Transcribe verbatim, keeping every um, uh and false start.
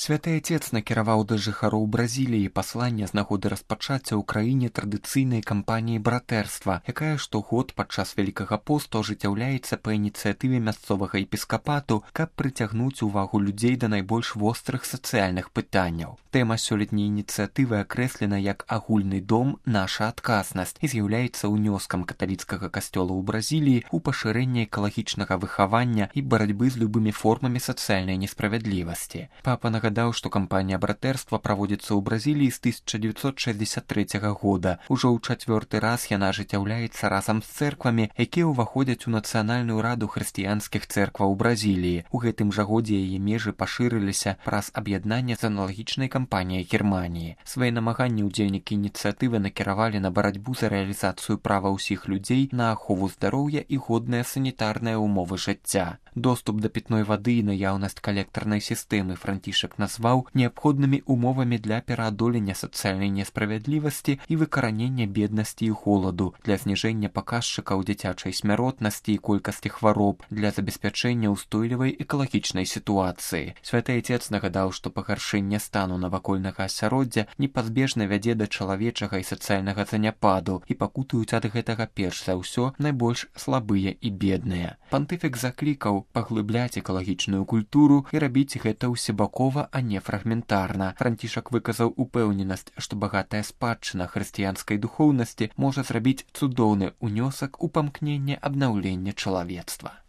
Святы Отец накіраваў да жыхароў Бразіліі пасланне з нагоды распачацця ў краіне традыцыйнай кампаніі братэрства, якая штогод падчас Вялікага посту ажыццяўляецца па ініцыятыве мясцовага епіскапату, каб прыцягнуць увагу людзей да найбольш вострых сацыяльных пытанняў. Тэма сёлетняй ініцыятывы акрэслена як агульны дом наша адказнасць і з'яўляецца ўнёскам каталіцкага касцёла ў Бразіліі ў пашырэнне экалагічнага выхавання і барацьбы з любымі формамі сацыяльнай несправядлівасці. Папа нагадаў, што кампанія братэрства праводзіцца ў Бразіліі з тысяча дзевяцьсот шэсцьдзесят трэцяга года. Ужо ў чацвёрты раз яна ажыццяўляецца разам з цэрквамі, якія ўваходзяць у нацыянальную раду хрысціянскіх цэркваў Бразіліі. У гэтым жа годзе яе межы пашырыліся праз аб'яднанне з аналагічнай кампаніяй Германіі. Свае намаганні ўдзельнікі ініцыятывы накіравалі на барацьбу за рэалізацыю права ўсіх людзей на ахову здароўя і годныя санітарныя ўмовы жыцця. Доступ да пітной вады і наяўнасць калектарнай сістэмы Францішак назваў неабходнымі умовамі для пераадолення сацыяльнай несправядлівасці і выкаранення беднасці і голаду, для зніжэння паказчыкаў дзіцячай смяротнасці і колькасці хвароб, для забеспячэння ўстойлівай экалагічнай сітуацыі. Святы Отец нагадаў, што пагаршэнне стану навакольнага асяроддзя непазбежна вядзе да чалавечага і сацыяльнага заняпаду, і пакутуюць ад гэтага перш за ўсё найбольш слабыя і бедныя. Пантыфік заклікаў паглыбляць экалагічную культуру і рабіць гэта ўсебакова, а не фрагментарна. Францішак выказаў упэўненасць, што багатая спадчына хрысціянскай духоўнасці можа зрабіць цудоўны ўнёсак у памкненне абнаўлення чалавецтва.